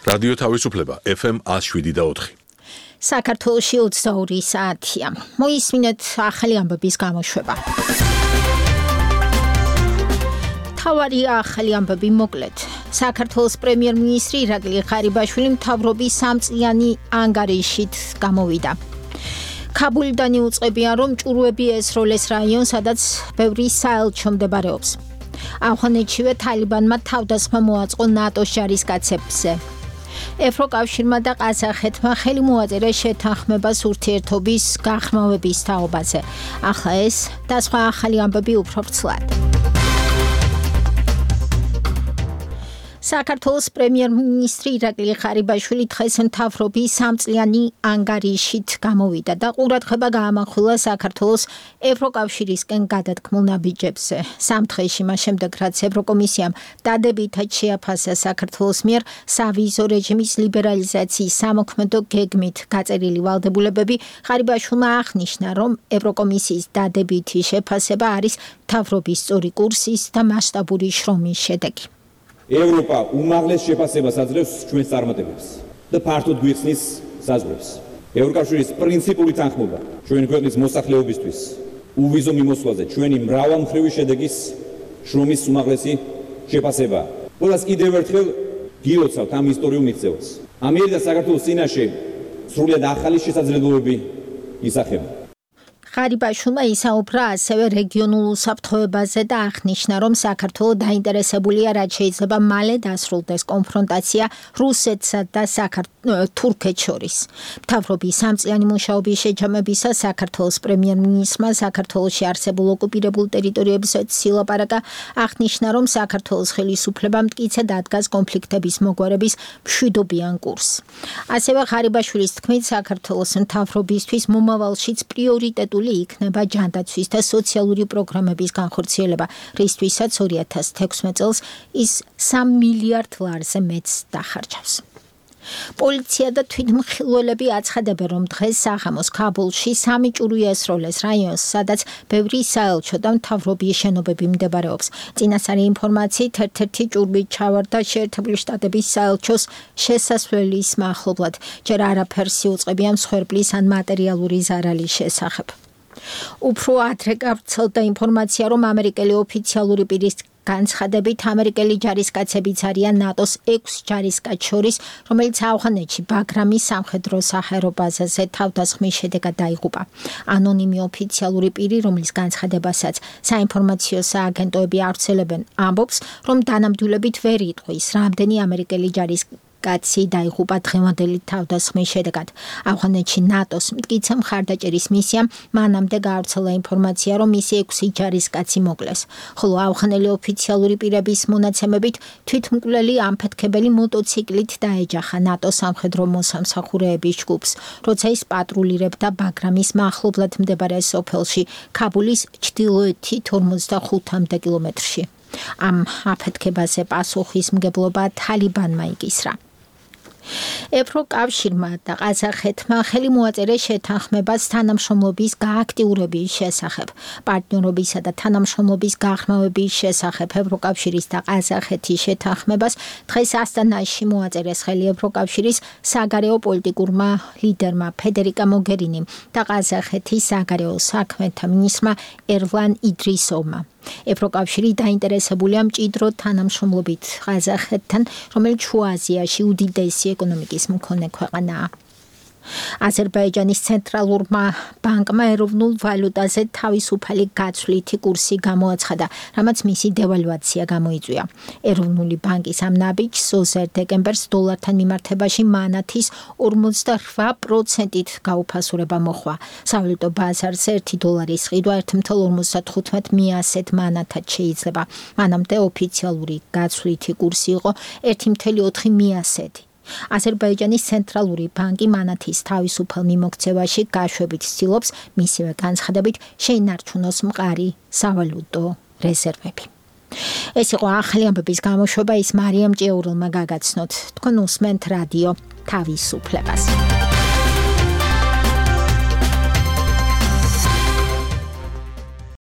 რადიო თავისუფლება FM 107.4. საქართველოში 22 საათია. მოისმინეთ ახალი ამბების გამოშვება. თავარი ახალი ამბები მოკლედ. საქართველოს პრემიერ-მინისტრი ირაკლი ღარიბაშვილი მთავრობის 3 წლიანი ანგარიშით გამოვიდა. ქაბულიდან იუწყებიან, რომ ჭურვები ესროლეს რაიონს, სადაც ბევრი საელჩო მდებარეობს. ავღანეთშივე თალიბანმა თავდასხმა მოაწყო ნატოს ჯარისკაცებზე. ევროკავშირმა და ყაზახეთმა ხელი მოაწერა შეთანხმებას ურთიერთობის გაღრმავების თაობაზე. ახლა ეს და სხვა ახალი ამბები უფრო ვრცლად. საქართველოს პრემიერ-მინისტრი ირაკლი ღარიბაშვილი დღეს მთავრობის 3 წლიანი ანგარიშით გამოვიდა და ყურადღება გაამახვილა საქართველოს ევროკავშირისკენ გადადგმულ ნაბიჯებზე. 3 დღეში მას შემდეგ, რაც ევროკომისიამ დადებითად შეაფასა საქართველოს მიერ სავიზო რეჟიმის ლიბერალიზაციის სამოქმედო გეგმით გაწერილი ვალდებულებები, ღარიბაშვილმა აღნიშნა, რომ ევროკომისიის დადებითი შეფასება არის მთავრობის სწორი კურსის და მასშტაბური შრომის შედეგი. ევროპა უმაღლეს შეფასებას აძლევს ჩვენს წარმატებებს და ფართოდ გვიხსნის საზღვრებს. ევროკავშირის პრინციპული თანხმობა ჩვენი ქვეყნის მოსახლეობისთვის უვიზო მიმოსვლაზე ჩვენი მრავალმხრივი შედეგის შრომის უმაღლესი შეფასება. ყველას კიდევ ერთხელ გილოცავთ ამ ისტორიულ მიღწევას. ამიერიდან საქართველოს წინაშე სრულიად ახალი შესაძლებლობები ისახება. ღარიბაშვილმა ისაუბრა ასევე რეგიონულ უსაფრთხოებაზე და აღნიშნა, რომ საქართველო დაინტერესებულია, რაც შეიძლება მალე დასრულდეს კონფრონტაცია რუსეთსა და თურქეთს შორის. მთავრობის 3 წლიანი მუშაობის შეჯამებისას საქართველოს პრემიერ-მინისტრმა საქართველოში არსებულ ოკუპირებულ ტერიტორიებზე ილაპარაკა, აღნიშნა, რომ საქართველოს ხელისუფლებამ მტკიცედ ადგას კონფლიქტების მოგვარების მშვიდობიან კურსს. ასევე ღარიბაშვილის თქმით, საქართველოს მთავრობისთვის მომავალშიც პრიორიტეტული იქნება ჯანდაცვის და სოციალური პროგრამების განხორციელება, რისთვისაც 2016 წელს ის 3 მილიარდ ლარზე მეტს დახარჯავს. პოლიცია და თვითმხილველები აცხადებენ, რომ დღეს საღამოს ქაბულში 3 ჭურვი ესროლეს რაიონს, სადაც ბევრი საელჩო და მთავრობის შენობები მდებარეობს. წინასწარი ინფორმაციით, ერთ-ერთი ჭურვი ჩავარდა შეერთებული შტატების საელჩოს შესასვლელის მახლობლად. ჯერ არაფერს იუწყებიან მსხვერპლის ან მატერიალური ზარალის შესახებ. უფრო ადრე გავრცელდა ინფორმაცია, რომ ამერიკელი ოფიციალური პირის განცხადებით ამერიკელი ჯარისკაცებიც არიან ნატოს 6 ჯარისკაც შორის, რომელიც ავღანეთში ბაგრამის სამხედრო საჰაერო ბაზაზე თავდასხმის შედეგად დაიღუპა. ანონიმი ოფიციალური პირი, რომლის განცხადებასაც საინფორმაციო სააგენტოები ავრცელებენ, ამბობს, რომ დანამდვილებით ვერ იტყვის, რამდენი ამერიკელი ჯარისკაცი დაიღუპა დღევანდელი თავდასხმის შედეგად. ავღანეთში ნატოს მტკიცე მხარდაჭერის მისიამ მანამდე გაავრცელა ინფორმაცია, რომ მისი 6 ჯარისკაცი მოკლეს. ხოლო ავღანელი ოფიციალური პირების მონაცემებით თვითმკვლელი ამფეთქებელი მოტოციკლით დაეჯახა ნატოს სამხედრო მოსამსახურეების ჯგუფს, როცა ის პატრულირებდა ბაგრამის მახლობლად მდებარე სოფელში, ქაბულის ჩრდილოეთით 45 კილომეტრში. ამ აფეთქებაზე პასუხისმგებლობა თალიბანმა იკისრა. ევროკავშირმა და ყაზახეთმა ხელი მოაწერა შეთანხმებას თანამშრომლობის გააქტიურების შესახებ. პარტნიორობისა და თანამშრომლობის გაღრმავების შესახებ ევროკავშირის და ყაზახეთის შეთანხმებას დღეს ასტანაში მოაწერეს ხელი ევროკავშირის საგარეო პოლიტიკურმა ლიდერმა ფედერიკა მოგერინიმ და ყაზახეთის საგარეო საქმეთა მინისტრმა ერვან იდრისოვმა. ევროკავშირი დაინტერესებულია მჭიდრო თანამშრომლობით ყაზახეთთან, რომელიც შუა აზიაში უდიდესი ეკონომიკის მქონე ქვეყანაა. აზერბაიჯანის ცენტრალურმა ბანკმა ეროვნულ ვალუტაზე თავისუფალი გაცვლითი კურსი გამოაცხადა, რამაც მისი დევალვაცია გამოიწვია. ეროვნული ბანკის ამ ნაბიჯს 20 დეკემბერს დოლართან მიმართებაში მანათის 48%-ით გაუფასურება მოხვა. სავალუტო ბაზარზე 1 დოლარის ყიდვა 1.55 მიასეთ მანათად შეიძლება. მანამდე ოფიციალური გაცვლითი კურსი იყო 1.4 მიასეთი. აზერბაიჯანის ცენტრალური ბანკი მანათის თავისუფალ მიმოქცევაში გაშვებით ცდილობს, მისივე განცხადებით შეინარჩუნოს მყარი სავალუტო რეზერვები. ეს იყო ახალი ამბების გამოშვება, ის მარიამ ჭიაურელმა გაგაცნოთ. თქვენ უსმენთ რადიო თავისუფლებას.